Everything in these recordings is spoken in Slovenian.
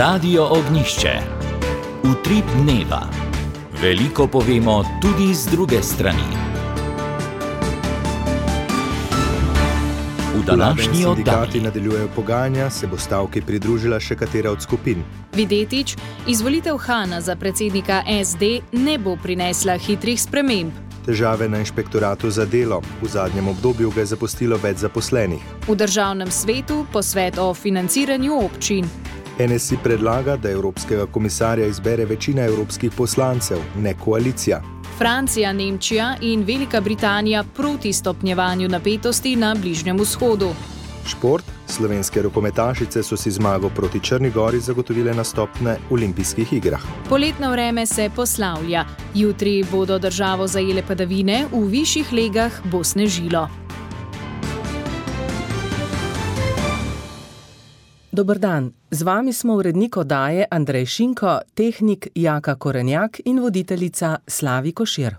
Radio Ognjišče. Utrip dneva. Veliko povemo tudi z druge strani. V današnji oddaji sindikati nadaljujejo pogajanja, se bo stavki pridružila še katera od skupin. Videtič, izvolitev Hana za predsednika SD ne bo prinesla hitrih sprememb. Težave na inšpektoratu za delo. V zadnjem obdobju ga je zapustilo več zaposlenih. V državnem svetu posvet o financiranju občin. NSI predlaga, da evropskega komisarja izbere večina evropskih poslancev, ne koalicija. Francija, Nemčija in Velika Britanija proti stopnjevanju napetosti na Bližnjem vzhodu. Šport. Slovenske rokometašice so si zmago proti Črni Gori zagotovile nastop na olimpijskih igrah. Poletno vreme se poslavlja. Jutri bodo državo zajele padavine, v višjih legah bo snežilo. Dober dan, z vami smo urednik oddaje Andrej Šinko, tehnik Jaka Korenjak in voditeljica Slavi Košir.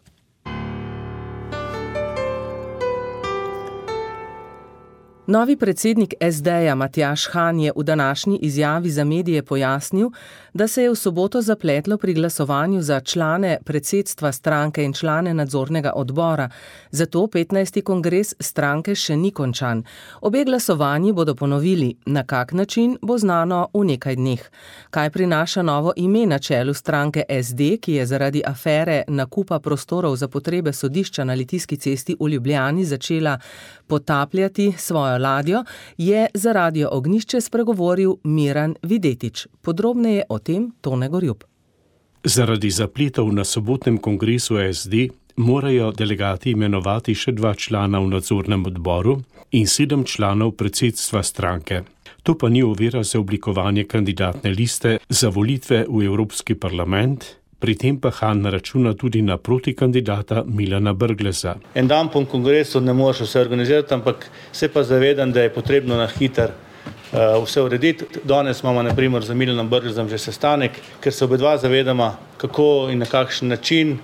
Novi predsednik SD-ja Matjaž Han je v današnji izjavi za medije pojasnil, da se je v soboto zapletlo pri glasovanju za člane predsedstva stranke in člane nadzornega odbora, zato 15. kongres stranke še ni končan. Obe glasovanji bodo ponovili, na kak način bo znano v nekaj dneh. Kaj prinaša novo ime na čelu stranke SD, ki je zaradi afere nakupa prostorov za potrebe sodišča na Litijski cesti v Ljubljani začela potapljati svojo ladjo, je za Radio Ognjišče spregovoril Miran Videtič. Podrobneje o tem Tone Gorjup. Zaradi zapletov na sobotnem kongresu SD morajo delegati imenovati še 2 člana v nadzornem odboru in 7 članov predsedstva stranke. To pa ni ovira za oblikovanje kandidatne liste za volitve v Evropski parlament. Pri tem pa Han računa tudi na protikandidata Milana Brgleza. En dan po kongresu ne moreš vse organizirati, ampak se pa zavedam, da je potrebno na hiter vse urediti. Danes imamo na primer za Milanom Brglezom že sestanek, ker se obedva zavedamo, kako in na kakšen način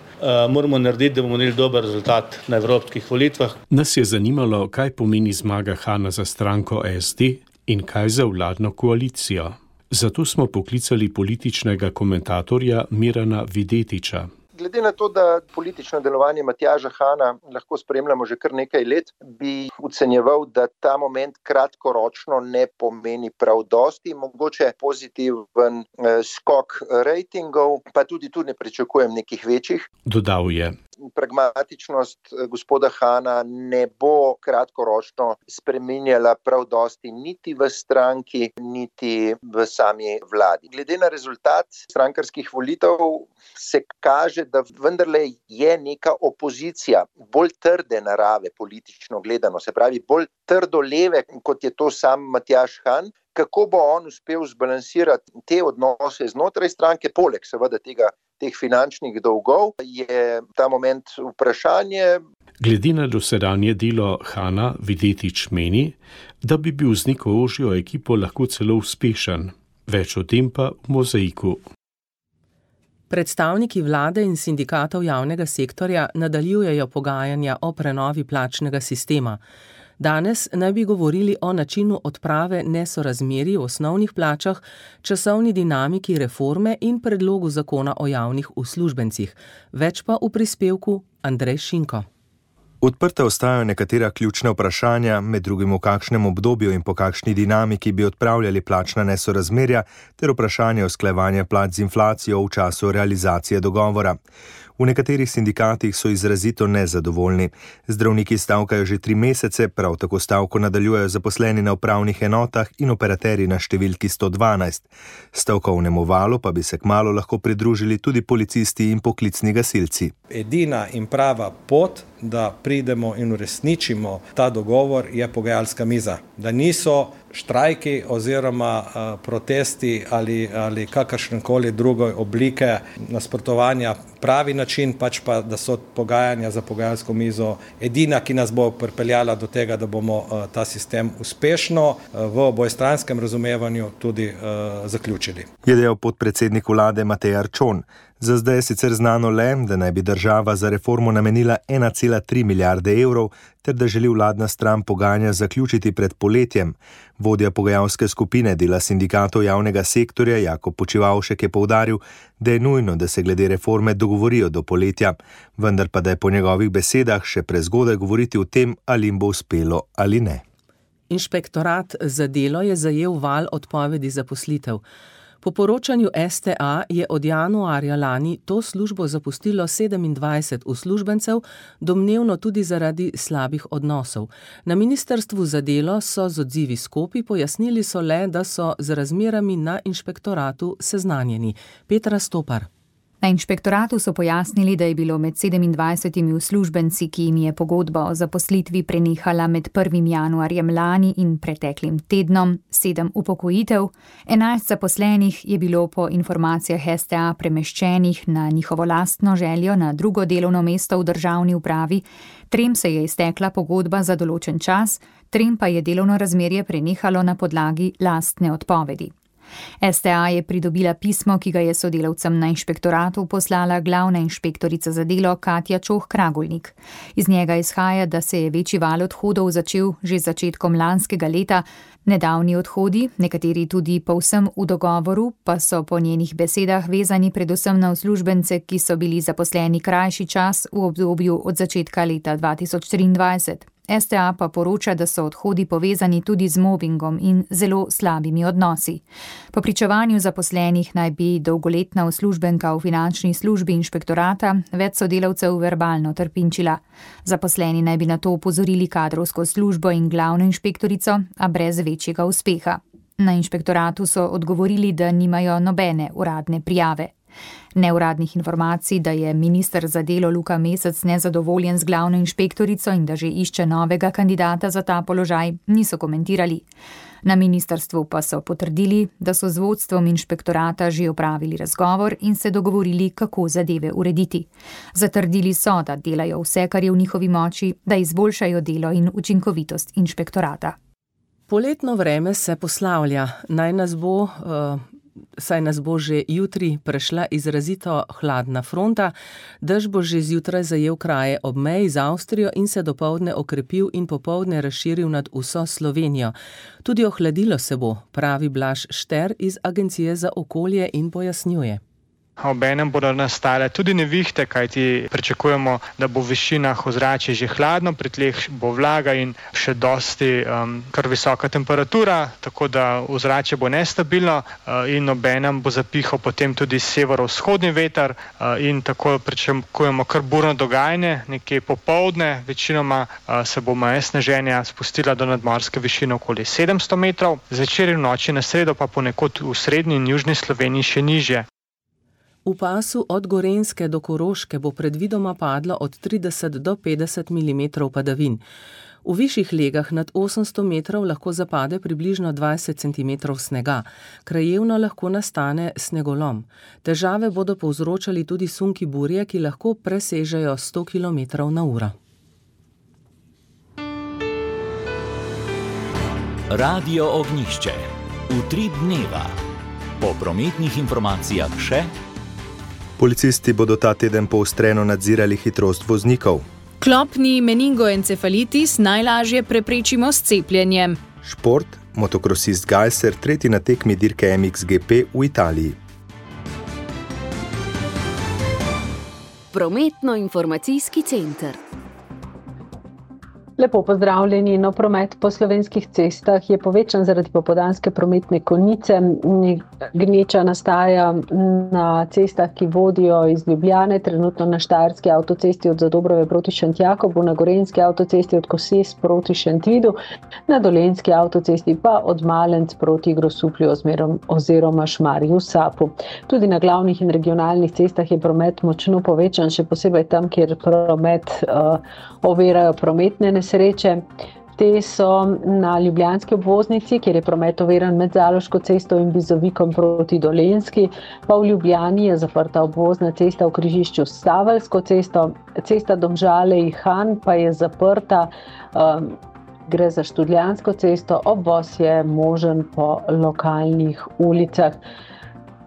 moramo narediti, da bomo imeli dober rezultat na evropskih volitvah. Nas je zanimalo, kaj pomeni zmaga Hana za stranko SD in kaj za vladno koalicijo. Zato smo poklicali političnega komentatorja Mirana Videtiča. Glede na to, da politično delovanje Matjaža Hana lahko spremljamo že kar nekaj let, bi ocenjeval, da ta moment kratkoročno ne pomeni prav dosti, mogoče pozitiven skok rejtingov, pa tudi tu ne pričakujem nekih večjih. Dodal je. Pragmatičnost gospoda Hana ne bo kratkoročno spreminjala prav dosti niti v stranki, niti v sami vladi. Glede na rezultat strankarskih volitev se kaže, da vendarle je neka opozicija bolj trde narave politično gledano, se pravi bolj trdo leve, kot je to sam Matjaž Han. Kako bo on uspel zbalansirati te odnose znotraj stranke, poleg seveda teh finančnih dolgov, je ta moment vprašanje. Glede na dosedanje delo Hana, Videtič meni, da bi bil z neko ožjo ekipo lahko celo uspešen. Več o tem pa v mozaiku. Predstavniki vlade in sindikatov javnega sektorja nadaljujejo pogajanja o prenovi plačnega sistema. Danes naj bi govorili o načinu odprave nesorazmerij v osnovnih plačah, časovni dinamiki reforme in predlogu zakona o javnih uslužbencih. Več pa v prispevku Andrej Šinko. Odprta ostajajo nekatera ključna vprašanja, med drugim v kakšnem obdobju in po kakšni dinamiki bi odpravljali plačna nesorazmerja ter vprašanje usklajevanja plač z inflacijo v času realizacije dogovora. V nekaterih sindikatih so izrazito nezadovoljni. Zdravniki stavkajo že 3 mesece, prav tako stavko nadaljujejo zaposleni na upravnih enotah in operaterji na številki 112. Stavkovnemu valu pa bi se kmalu lahko pridružili tudi policisti in poklicni gasilci. Edina in prava pot, da pridemo in uresničimo ta dogovor, je pogajalska miza. Da niso štrajki oziroma protesti ali kakršnekoli druge oblike nasprotovanja pravi način, pač pa da so pogajanja za pogajalsko mizo edina, ki nas bo pripeljala do tega, da bomo ta sistem uspešno v obojestranskem razumevanju tudi zaključili. Je dejal podpredsednik vlade Matej Arčon. Za zdaj je sicer znano le, da naj bi država za reformo namenila 1,3 milijarde evrov, ter da želi vladna stran pogajanja zaključiti pred poletjem. Vodja pogajalske skupine dela sindikatov javnega sektorja Jakob Počivavšek je poudaril, da je nujno, da se glede reforme dogovorijo do poletja, vendar pa da je po njegovih besedah še prezgodaj govoriti o tem, ali jim bo uspelo ali ne. Inšpektorat za delo je zajel val odpovedi zaposlitev. Po poročanju STA je od januarja lani to službo zapustilo 27 uslužbencev, domnevno tudi zaradi slabih odnosov. Na ministrstvu za delo so z odzivi skopi, pojasnili so le, da so z razmerami na inšpektoratu seznanjeni. Petra Stopar. Na inšpektoratu so pojasnili, da je bilo med 27 uslužbenci, ki jim je pogodba o zaposlitvi prenehala med 1. januarjem lani in preteklim tednom, 7 upokojitev, 11 zaposlenih je bilo po informacijah STA premeščenih na njihovo lastno željo na drugo delovno mesto v državni upravi, 3 se je iztekla pogodba za določen čas, 3 pa je delovno razmerje prenehalo na podlagi lastne odpovedi. STA je pridobila pismo, ki ga je sodelavcem na inšpektoratu poslala glavna inšpektorica za delo Katja Čoh-Kragolnik. Iz njega izhaja, da se je večji val odhodov začel že z začetkom lanskega leta. Nedavni odhodi, nekateri tudi povsem v dogovoru, pa so po njenih besedah vezani predvsem na uslužbence, ki so bili zaposleni krajši čas v obdobju od začetka leta 2023. STA pa poroča, da so odhodi povezani tudi z mobingom in zelo slabimi odnosi. Po pričevanju zaposlenih naj bi dolgoletna uslužbenka v finančni službi inšpektorata več sodelavcev verbalno trpinčila. Zaposleni naj bi na to opozorili kadrovsko službo in glavno inšpektorico, a brez večjega uspeha. Na inšpektoratu so odgovorili, da nimajo nobene uradne prijave. Neuradnih informacij, da je minister za delo Luka Mesec nezadovoljen z glavno inšpektorico in da že išče novega kandidata za ta položaj, niso komentirali. Na ministrstvu pa so potrdili, da so z vodstvom inšpektorata že opravili razgovor in se dogovorili, kako zadeve urediti. Zatrdili so, da delajo vse, kar je v njihovi moči, da izboljšajo delo in učinkovitost inšpektorata. Poletno vreme se poslavlja. Saj nas bo že jutri prešla izrazito hladna fronta, dež bo že zjutraj zajel kraje ob meji z Avstrijo in se dopoldne okrepil in popoldne razširil nad vso Slovenijo. Tudi ohladilo se bo, pravi Blaž Šter iz Agencije za okolje in pojasnjuje. Obenem bodo nastale tudi nevihte, kajti pričakujemo, da bo v višinah ozračja že hladno, pri tleh bo vlaga in še dosti kar visoka temperatura, tako da ozračje bo nestabilno in obenem bo zapihal potem tudi severovzhodni veter in tako pričakujemo kar burno dogajanje, nekje popoldne, večinoma se bo meja sneženja spustila do nadmorske višine okoli 700 metrov, zvečer in v noči na sredo pa ponekod v srednji in južni Sloveniji še nižje. V pasu od Gorenjske do Koroške bo predvidoma padlo od 30 do 50 mm padavin. V višjih legah nad 800 metrov lahko zapade približno 20 cm snega. Krajevno lahko nastane snegolom. Težave bodo povzročali tudi sunki burje, ki lahko presežejo 100 km/h. Radio Ognjišče. Utrip dneva. Po prometnih informacijah še. Policisti bodo ta teden poostreno nadzirali hitrost voznikov. Klopni meningoencefalitis najlažje preprečimo s cepljenjem. Šport, motokrosist Gajser, 3. na tekmi dirke MXGP v Italiji. Prometno-informacijski center. Lepo pozdravljeni. Promet po slovenskih cestah je povečan zaradi popoldanske prometne konice. Gneča nastaja na cestah, ki vodijo iz Ljubljane, trenutno na Štajerski avtocesti od Zadobrove proti Šentjakobu, na Gorenjski avtocesti od Koses proti Šentvidu, na Dolenjski avtocesti pa od Malenc proti Grosuplju oziroma Šmarju Sapu. Tudi na glavnih in regionalnih cestah je promet močno povečan, še posebej tam, kjer promet ovirajo prometne nesreče. Te so na ljubljanski obvoznici, kjer je promet oviran med Zaloško cesto in Bizovikom proti Dolenjski, pa v Ljubljani je zaprta obvozna cesta v križišču s Saveljsko cesto, cesta Domžale-Ihan pa je zaprta, gre za Študljansko cesto, obvoz je možen po lokalnih ulicah.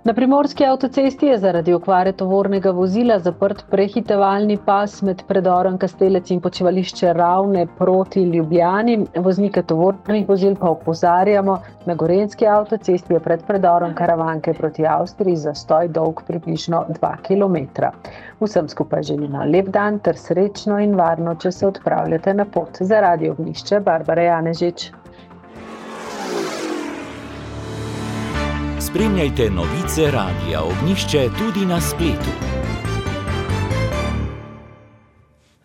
Na primorski avtocesti je zaradi okvare tovornega vozila zaprt prehitevalni pas med predorom Kastelec in počivališče Ravne proti Ljubljani. Voznike tovornih vozil pa opozarjamo, na gorenjski avtocesti je pred predorom Karavanke proti Avstriji zastoj dolg približno 2 kilometra. Vsem skupaj želimo lep dan ter srečno in varno, če se odpravljate na pot. Za Radio Ognjišče, Barbara Janežič. Spremljajte novice Radia Ognjišče tudi na spletu.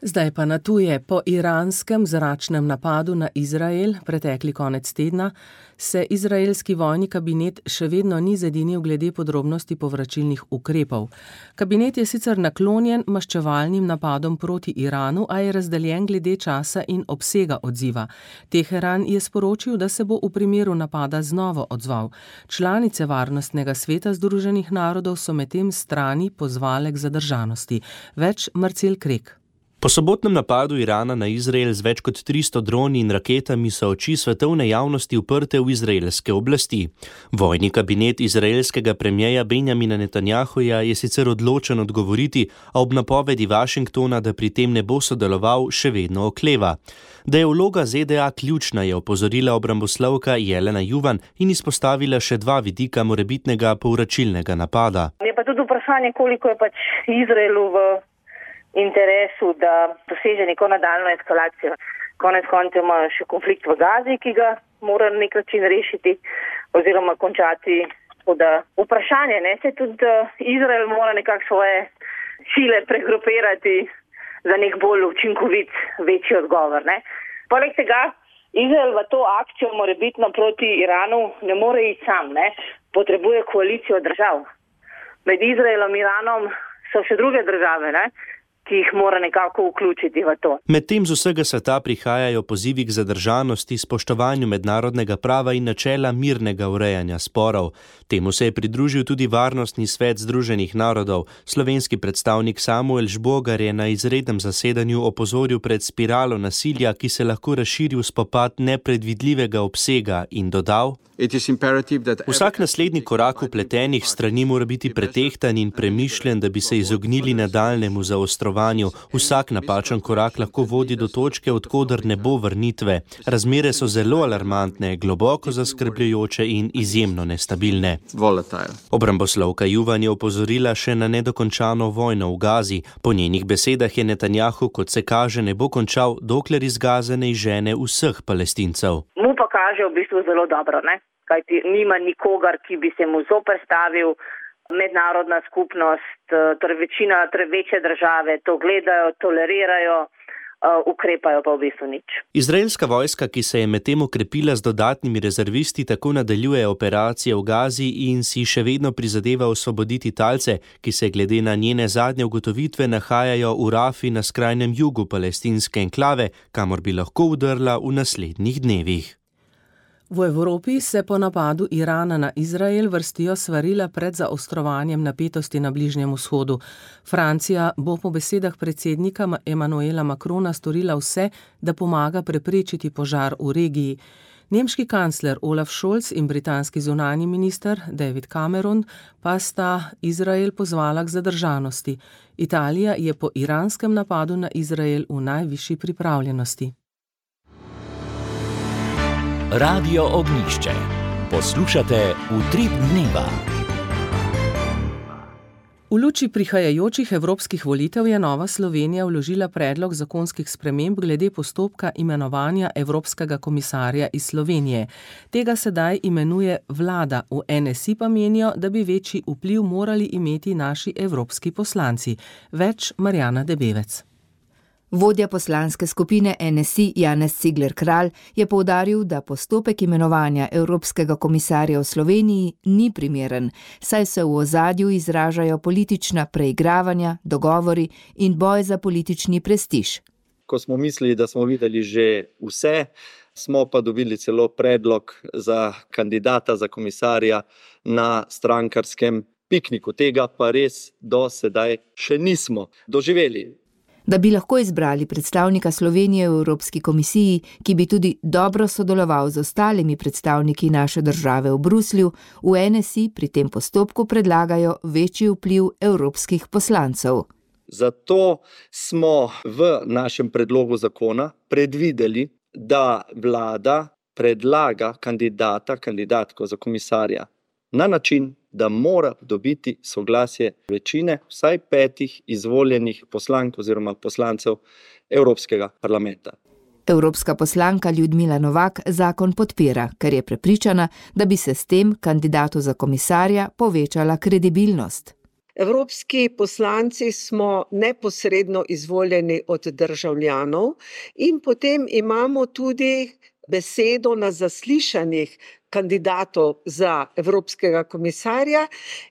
Zdaj pa na tuje. Po iranskem zračnem napadu na Izrael pretekli konec tedna se izraelski vojni kabinet še vedno ni zedinil glede podrobnosti povračilnih ukrepov. Kabinet je sicer naklonjen maščevalnim napadom proti Iranu, a je razdeljen glede časa in obsega odziva. Teheran je sporočil, da se bo v primeru napada znova odzval. Članice Varnostnega sveta Združenih narodov so medtem strani pozvale k zadržanosti. Več Marcel Krek. Po sobotnem napadu Irana na Izrael z več kot 300 droni in raketami so oči svetovne javnosti uprte v izraelske oblasti. Vojni kabinet izraelskega premierja Benjamina Netanjahuja je sicer odločen odgovoriti, a ob napovedi Washingtona, da pri tem ne bo sodeloval, še vedno okleva. Da je vloga ZDA ključna, je opozorila obramboslovka Jelena Juvan in izpostavila še 2 vidika morebitnega povračilnega napada. Je pa tudi vprašanje, koliko je pač Izraelu v interesu, da doseže neko nadaljno eskalacijo. Konec koncev ima še konflikt v Gazi, ki ga mora na nek način rešiti oziroma končati. Vprašanje, se tudi Izrael mora nekako svoje sile pregrupirati za nek bolj učinkovit, večji odgovor. Poleg tega Izrael v to akcijo morebitno proti Iranu ne more iti sam. Potrebuje koalicijo držav. Med Izraelom in Iranom so še druge države, ki jih mora nekako vključiti v to. Medtem z vsega sveta prihajajo pozivi k zadržanosti, spoštovanju mednarodnega prava in načela mirnega urejanja sporov. Temu se je pridružil tudi Varnostni svet Združenih narodov. Slovenski predstavnik Samuel Žbogar je na izrednem zasedanju opozoril pred spiralo nasilja, ki se lahko razširi v spopad nepredvidljivega obsega in dodal: Vsak naslednji korak vpletenih strani mora biti pretehtan in premišljen, da bi se izognili nadaljnemu zaostrovanju. Vsak napačen korak lahko vodi do točke, od koder ne bo vrnitve. Razmere so zelo alarmantne, globoko zaskrbljujoče in izjemno nestabilne. Obramboslovka Juvan je opozorila še na nedokončano vojno v Gazi. Po njenih besedah je Netanjahu, kot se kaže, ne bo končal, dokler iz Gaze ne izžene vseh Palestincev. Mu pa kaže v bistvu zelo dobro, kajti nima nikogar, ki bi se mu zoperstavil. Mednarodna skupnost, torej večina, torej večje države to gledajo, tolerirajo, ukrepajo pa v bistvu nič. Izraelska vojska, ki se je medtem okrepila z dodatnimi rezervisti, tako nadaljuje operacije v Gazi in si še vedno prizadeva osvoboditi talce, ki se glede na njene zadnje ugotovitve nahajajo v Rafi na skrajnem jugu palestinske enklave, kamor bi lahko vdrla v naslednjih dnevih. V Evropi se po napadu Irana na Izrael vrstijo svarila pred zaostrovanjem napetosti na Bližnjem vzhodu. Francija bo po besedah predsednika Emmanuela Macrona storila vse, da pomaga preprečiti požar v regiji. Nemški kancler Olaf Scholz in britanski zunanji minister David Cameron pa sta Izrael pozvala k zadržanosti. Italija je po iranskem napadu na Izrael v najvišji pripravljenosti. Radio Ognjišče. Poslušate Utrip dneva. V luči prihajajočih evropskih volitev je Nova Slovenija vložila predlog zakonskih sprememb glede postopka imenovanja evropskega komisarja iz Slovenije. Tega sedaj imenuje vlada, v NSI pa menijo, da bi večji vpliv morali imeti naši evropski poslanci. Več Marjana Debevec. Vodja poslanske skupine NSI Janez Cigler Kralj je poudaril, da postopek imenovanja evropskega komisarja v Sloveniji ni primeren, saj se v ozadju izražajo politična preigravanja, dogovori in boj za politični prestiž. Ko smo mislili, da smo videli že vse, smo pa dobili celo predlog za kandidata za komisarja na strankarskem pikniku. Tega pa res do sedaj še nismo doživeli. Da bi lahko izbrali predstavnika Slovenije v Evropski komisiji, ki bi tudi dobro sodeloval z ostalimi predstavniki naše države v Bruslju, v NSI pri tem postopku predlagajo večji vpliv evropskih poslancev. Zato smo v našem predlogu zakona predvideli, da vlada predlaga kandidatko za komisarja na način, da mora dobiti soglasje večine vsaj 5 izvoljenih poslank oziroma poslancev Evropskega parlamenta. Evropska poslanka Ljudmila Novak zakon podpira, ker je prepričana, da bi se s tem kandidatu za komisarja povečala kredibilnost. Evropski poslanci smo neposredno izvoljeni od državljanov in potem imamo tudi besedo na zaslišanjih kandidatov za evropskega komisarja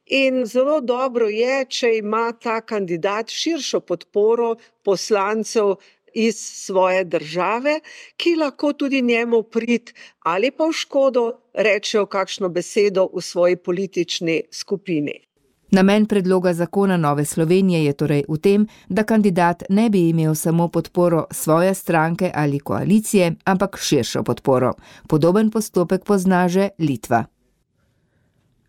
in zelo dobro je, če ima ta kandidat širšo podporo poslancev iz svoje države, ki lahko tudi njemu prid ali pa v škodo rečejo kakšno besedo v svoji politični skupini. Namen predloga zakona Nove Slovenije je torej v tem, da kandidat ne bi imel samo podporo svoje stranke ali koalicije, ampak širšo podporo. Podoben postopek pozna že Litva.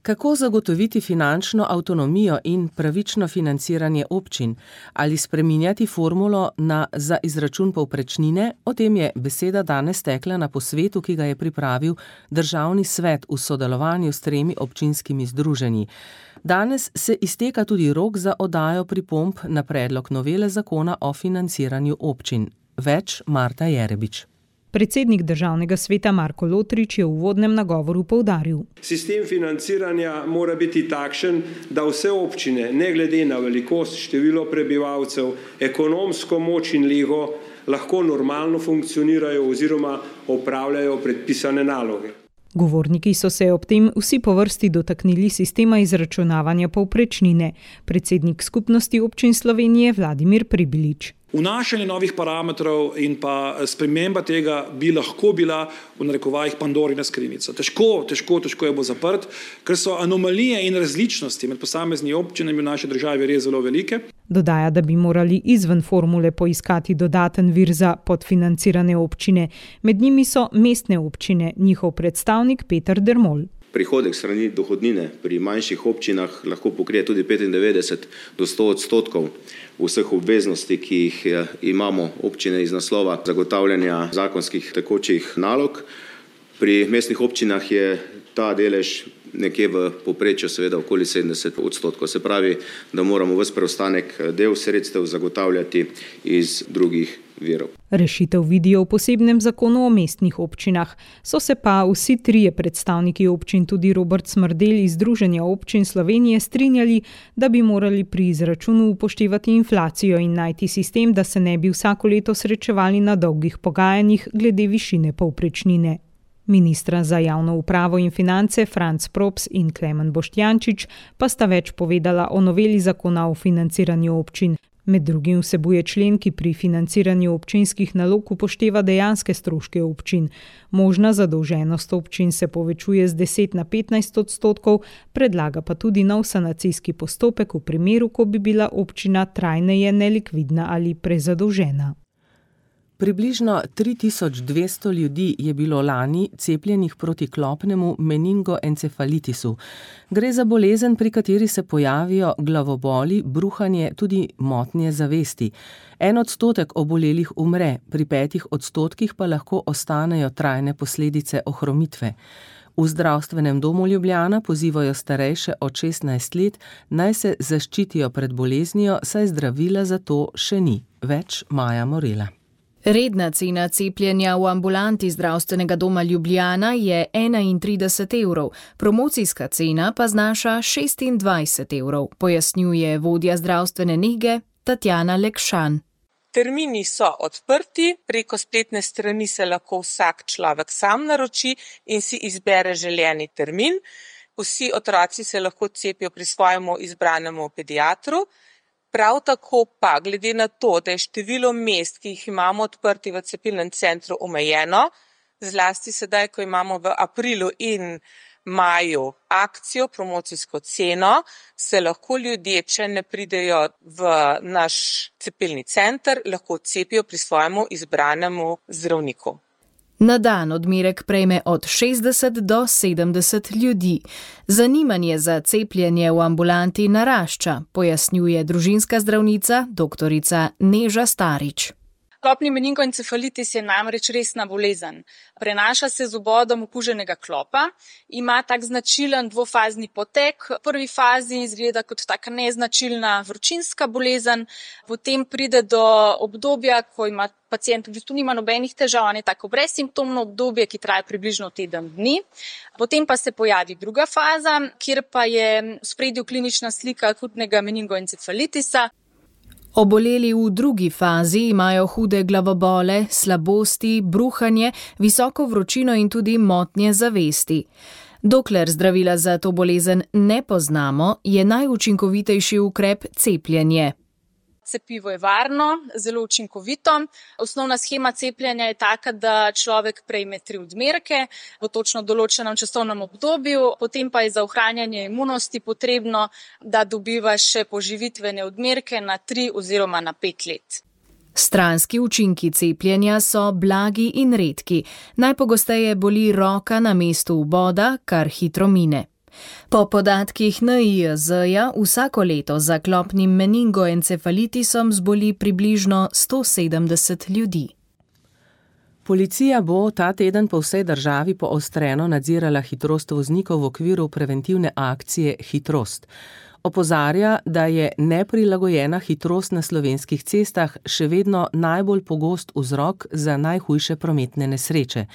Kako zagotoviti finančno avtonomijo in pravično financiranje občin? Ali spreminjati formulo za izračun povprečnine? O tem je beseda danes tekla na posvetu, ki ga je pripravil Državni svet v sodelovanju s 3 občinskimi združenji. Danes se izteka tudi rok za oddajo pripomb na predlog novele zakona o financiranju občin. Več Marta Jerebič. Predsednik Državnega sveta Marko Lotrič je v uvodnem nagovoru poudaril. Sistem financiranja mora biti takšen, da vse občine, ne glede na velikost, število prebivalcev, ekonomsko moč in lego, lahko normalno funkcionirajo oziroma opravljajo predpisane naloge. Govorniki so se ob tem vsi po vrsti dotaknili sistema izračunavanja povprečnine. Predsednik Skupnosti občin Slovenije Vladimir Pribilič. Vnašanje novih parametrov in pa sprememba tega bi lahko bila v narekovajih Pandorina skrinjica. Težko je bo zaprt, ker so anomalije in različnosti med posameznimi občinami v naši državi res zelo velike. Dodaja, da bi morali izven formule poiskati dodaten vir za podfinancirane občine. Med njimi so mestne občine, njihov predstavnik Peter Dermol. Prihodek strani dohodnine pri manjših občinah lahko pokrije tudi 95 do 100% vseh obveznosti, ki jih imamo občine iz naslova zagotavljanja zakonskih tekočih nalog. Pri mestnih občinah je ta delež nekje v povprečju seveda okoli 70%. Se pravi, da moramo ves preostanek del sredstev zagotavljati iz drugih virov. Rešitev vidijo v posebnem zakonu o mestnih občinah. So se pa vsi 3 predstavniki občin, tudi Robert Smrdelj iz Združenja občin Slovenije, strinjali, da bi morali pri izračunu upoštevati inflacijo in najti sistem, da se ne bi vsako leto srečevali na dolgih pogajanjih glede višine povprečnine. Ministra za javno upravo in finance Franc Props in Klemen Boštjančič pa sta več povedala o noveli zakona o financiranju občin. Med drugim vsebuje člen, ki pri financiranju občinskih nalog upošteva dejanske stroške občin. Možna zadolženost občin se povečuje z 10 na 15%, predlaga pa tudi nov sanacijski postopek v primeru, ko bi bila občina trajneje nelikvidna ali prezadolžena. Približno 3200 ljudi je bilo lani cepljenih proti klopnemu meningoencefalitisu. Gre za bolezen, pri kateri se pojavijo glavoboli, bruhanje, tudi motnje zavesti. 1% obolelih umre, pri 5% pa lahko ostanejo trajne posledice ohromitve. V Zdravstvenem domu Ljubljana pozivajo starejše od 16 let, naj se zaščitijo pred boleznijo, saj zdravila za to še ni. Več Maja Morela. Redna cena cepljenja v ambulanti Zdravstvenega doma Ljubljana je 31 evrov, promocijska cena pa znaša 26 evrov, pojasnjuje vodja zdravstvene nege Tatjana Lekšan. Termini so odprti, preko spletne strani se lahko vsak človek sam naroči in si izbere željeni termin. Vsi otroci se lahko cepijo pri svojemu izbranemu pediatru. Prav tako pa, glede na to, da je število mest, ki jih imamo odprti v cepilnem centru, omejeno, zlasti sedaj, ko imamo v aprilu in maju akcijo, promocijsko ceno, se lahko ljudje, če ne pridejo v naš cepilni center, lahko cepijo pri svojemu izbranemu zdravniku. Na dan odmerek prejme od 60 do 70 ljudi. Zanimanje za cepljenje v ambulanti narašča, pojasnjuje družinska zdravnica dr. Neža Starič. Klopni meningoencefalitis je namreč resna bolezen. Prenaša se z vbodom okuženega klopa, ima tak značilen dvofazni potek. V prvi fazi izgleda kot taka neznačilna vročinska bolezen, potem pride do obdobja, ko ima pacient v bistvu nima nobenih težav, je tako brezsimptomno obdobje, ki traja približno teden dni. Potem pa se pojavi druga faza, kjer pa je v spredju klinična slika akutnega meningoencefalitisa. Oboleli v drugi fazi imajo hude glavobole, slabosti, bruhanje, visoko vročino in tudi motnje zavesti. Dokler zdravila za to bolezen ne poznamo, je najučinkovitejši ukrep cepljenje. Cepivo je varno, zelo učinkovito. Osnovna shema cepljenja je taka, da človek prejme 3 odmerke v točno določenem časovnem obdobju, potem pa je za ohranjanje imunosti potrebno, da dobiva še poživitvene odmerke na 3 oziroma na 5 let. Stranski učinki cepljenja so blagi in redki. Najpogosteje boli roka na mestu vboda, kar hitro mine. Po podatkih NIJZ-ja vsako leto za klopnim meningoencefalitisom zboli približno 170 ljudi. Policija bo ta teden po vsej državi poostreno nadzirala hitrost voznikov v okviru preventivne akcije Hitrost. Opozarja, da je neprilagojena hitrost na slovenskih cestah še vedno najbolj pogost vzrok za najhujše prometne nesreče.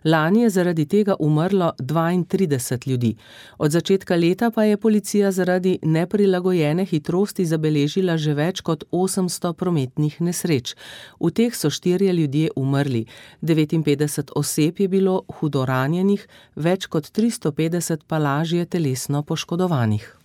Lani je zaradi tega umrlo 32 ljudi. Od začetka leta pa je policija zaradi neprilagojene hitrosti zabeležila že več kot 800 prometnih nesreč. V teh so 4 ljudje umrli, 59 oseb je bilo hudo ranjenih, več kot 350 pa lažje telesno poškodovanih.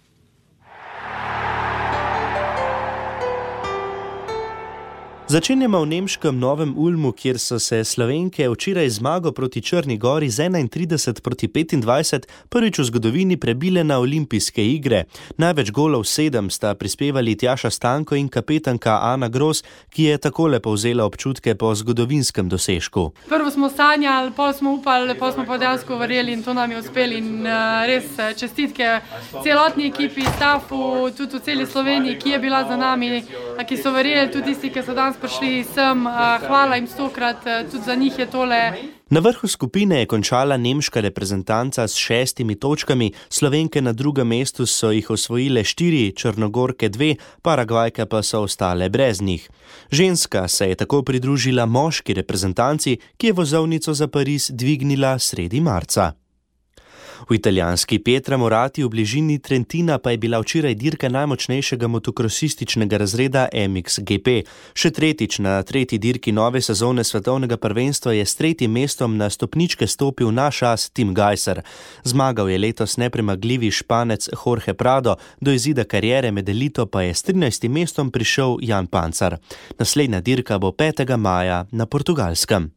Začenjamo v nemškem Novem Ulmu, kjer so se Slovenke včeraj zmago proti Črni Gori z 31-25 prvič v zgodovini prebile na olimpijske igre. Največ golov 7 sta prispevali Tjaša Stanko in kapetanka Ana Gros, ki je takole povzela občutke po zgodovinskem dosežku. Prvo smo sanjali, pol smo upali, pol smo pa dejansko verjeli in to nam je uspeli. In res čestitke celotni ekipi, stafu, tudi v celi Sloveniji, ki je bila za nami, ki so verjeli, tudi tisti, ki so danes prišli sem, hvala jim 100-krat, tudi za njih je tole. Na vrhu skupine je končala nemška reprezentanca s 6 točkami, Slovenke na drugem mestu so jih osvojile 4, Črnogorke 2, Paragvajke pa so ostale brez njih. Ženska se je tako pridružila moški reprezentanci, ki je vozovnico za Pariz dvignila sredi marca. V italijanski Pietra Morati v bližini Trentina pa je bila včeraj dirka najmočnejšega motokrosističnega razreda MXGP. Še tretjič na tretji dirki nove sezone svetovnega prvenstva je s 3. mestom na stopničke stopil naš as Tim Gajser. Zmagal je letos nepremagljivi Španec Jorge Prado, do izida kariere med elito pa je s 13. mestom prišel Jan Pancar. Naslednja dirka bo 5. maja na Portugalskem.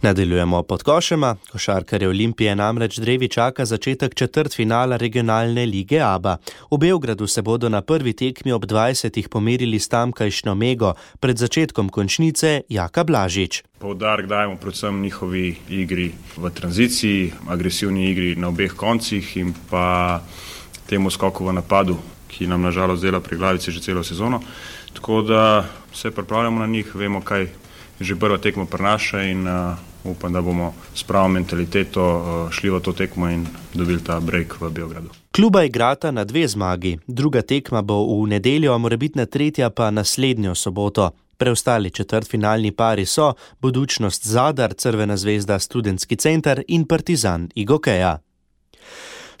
Nadaljujemo pod košema. Košarkarje Olimpije namreč drevi čaka začetek četrtfinala regionalne lige ABA. V Beogradu se bodo na prvi tekmi ob 20 pomerili s tamkajšnjo Mego, pred začetkom končnice Jaka Blažič. Poudarek dajemo predvsem njihovi igri v tranziciji, agresivni igri na obeh koncih in pa temu skoku v napadu, ki nam nažalost dela pri glavici že celo sezono. Tako da se pripravljamo na njih, vemo kaj že prva tekma prinaša in upam, da bomo s pravo mentaliteto šli v to tekmo in dobili ta break v Beogradu. Kluba igrata na 2 zmagi, druga tekma bo v nedeljo, a morebitna tretja pa naslednjo soboto. Preostali četrtfinalni pari so Budućnost Zadar, Crvena zvezda Studentski center in Partizan Igokeja.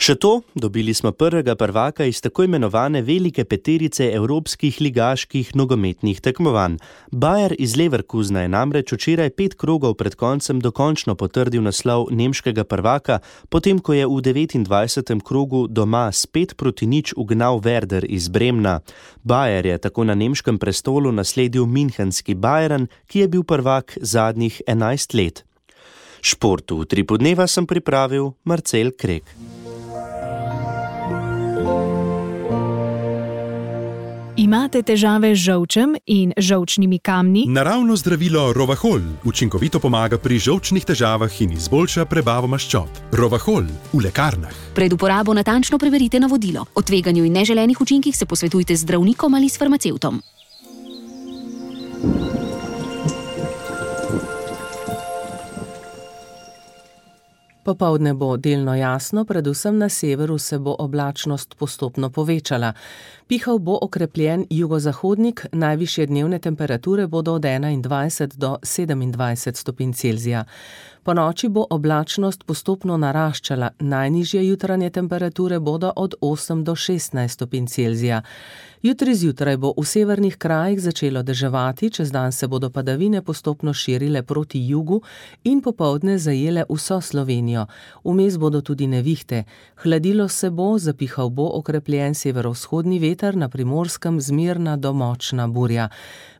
Še to, dobili smo prvega prvaka iz tako imenovane velike peterice evropskih ligaških nogometnih tekmovanj. Bayer iz Leverkusena je namreč včeraj 5 krogov pred koncem dokončno potrdil naslov nemškega prvaka, potem ko je v 29. krogu doma s 5-0 ugnal Werder iz Bremna. Bayer je tako na nemškem prestolu nasledil münchenski Bayern, ki je bil prvak zadnjih 11 let. Športu v Utripu dneva sem pripravil Marcel Krek. Imate težave z žolčem in žolčnimi kamni? Naravno zdravilo Rovahol učinkovito pomaga pri žolčnih težavah in izboljša prebavo maščob. Rovahol v lekarnah. Pred uporabo natančno preverite navodilo. O tveganju in neželenih učinkih se posvetujte z zdravnikom ali s farmacevtom. Popoldne bo delno jasno, predvsem na severu se bo oblačnost postopno povečala. Pihal bo okrepljen jugozahodnik, najvišje dnevne temperature bodo od 21 do 27 stopinj Celzija. Po noči bo oblačnost postopno naraščala, najnižje jutranje temperature bodo od 8 do 16 stopinj Celzija. Jutri zjutraj bo v severnih krajih začelo deževati, čez dan se bodo padavine postopno širile proti jugu in popoldne zajele vso Slovenijo. Vmes bodo tudi nevihte. Hladilo se bo, zapihal bo okrepljen severovzhodni veter, na Primorskem zmerna do močna burja.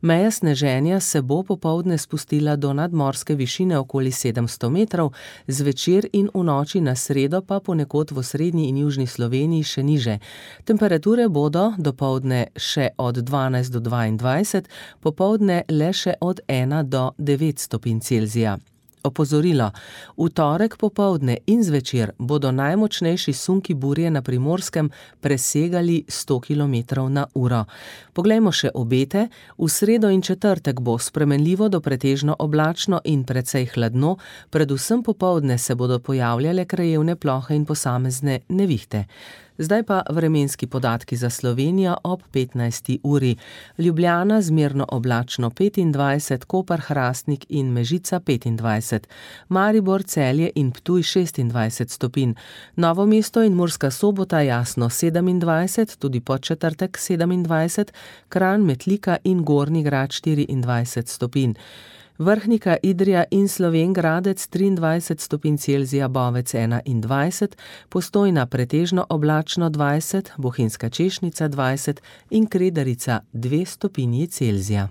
Meja sneženja se bo popoldne spustila do nadmorske višine okoli 700 metrov, zvečer in v noči na sredo pa ponekod v srednji in južni Sloveniji še niže. Temperature bodo dopoldne še od 12 do 22, popoldne le še od 1 do 9 stopinj Celzija. Opozorilo. V torek popoldne in zvečer bodo najmočnejši sunki burje na Primorskem presegali 100 km/h. Poglejmo še obete. V sredo in četrtek bo spremenljivo do pretežno oblačno in precej hladno, predvsem popoldne se bodo pojavljale krajevne plohe in posamezne nevihte. Zdaj pa vremenski podatki za Slovenijo ob 15. uri. Ljubljana zmerno oblačno 25, Koper, Hrastnik in Mežica 25, Maribor, Celje in Ptuj 26 stopinj, Novo mesto in Murska Sobota jasno 27, tudi Podčetrtek 27, Kranj, Metlika in Gornji Grad 24 stopinj. Vrhnika, Idrija in Slovenj Gradec 23 stopinj Celzija, Bovec 21, Postojna pretežno oblačno 20, Bohinjska Češnica 20 in Kredarica 2 stopinji Celzija.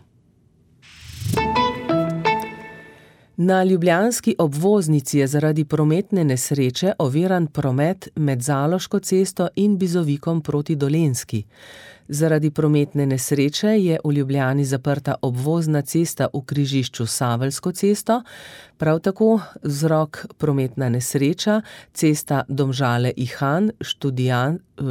Na ljubljanski obvoznici je zaradi prometne nesreče oviran promet med Zaloško cesto in Bizovikom proti Dolenjski. Zaradi prometne nesreče je v Ljubljani zaprta obvozna cesta v križišču s Saveljsko cesto, prav tako vzrok prometna nesreča, cesta Domžale-Ihan,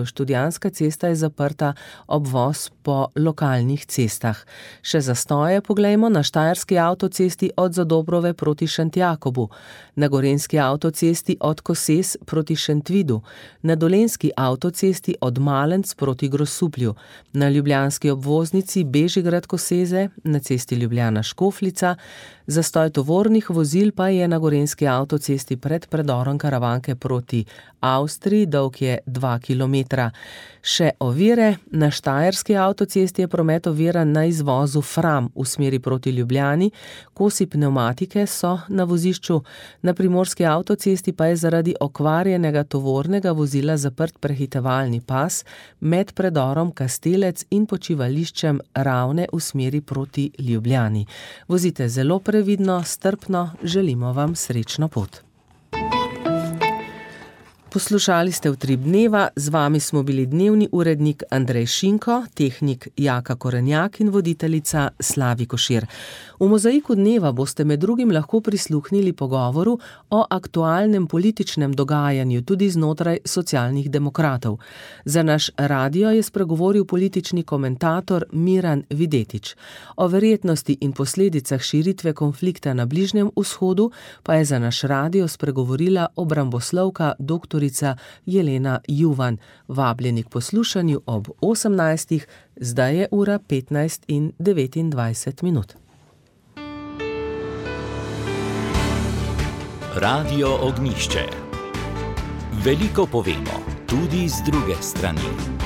Študjanska cesta je zaprta, obvoz po lokalnih cestah. Še zastoje poglejmo na Štajerski avtocesti od Zadobrove proti Šentjakobu, na Gorenjski avtocesti od Koses proti Šentvidu, na Dolenjski avtocesti od Malenc proti Grosuplju, na ljubljanski obvoznici Bežigrad-Koseze, na cesti Ljubljana-Škofljica, zastoj tovornih vozil pa je na Gorenjski avtocesti pred predorom Karavanke proti Avstriji, dolg je 2 km. Še ovire, na Štajerski avtocesti je promet oviran na izvozu Fram v smeri proti Ljubljani, kosi pnevmatike so na vozišču, na Primorski avtocesti pa je zaradi okvarjenega tovornega vozila zaprt prehitevalni pas med predorom Kastelec in počivališčem Ravne v smeri proti Ljubljani. Vozite zelo previdno, strpno, želimo vam srečno pot. Poslušali ste Utrip dneva, z vami smo bili dnevni urednik Andrej Šinko, tehnik Jaka Korenjak in voditeljica Slavi Košir. V Mozaiku dneva boste med drugim lahko prisluhnili pogovoru o aktualnem političnem dogajanju tudi znotraj Socialnih demokratov. Za naš radio je spregovoril politični komentator Miran Videtič. O verjetnosti in posledicah širitve konflikta na Bližnjem vzhodu pa je za naš radio spregovorila obramboslovka dr. Jelena Juvan. Vabljeni k poslušanju ob 18. Zdaj je ura 15:29. Radio Ognjišče. Veliko povemo, tudi z druge strani.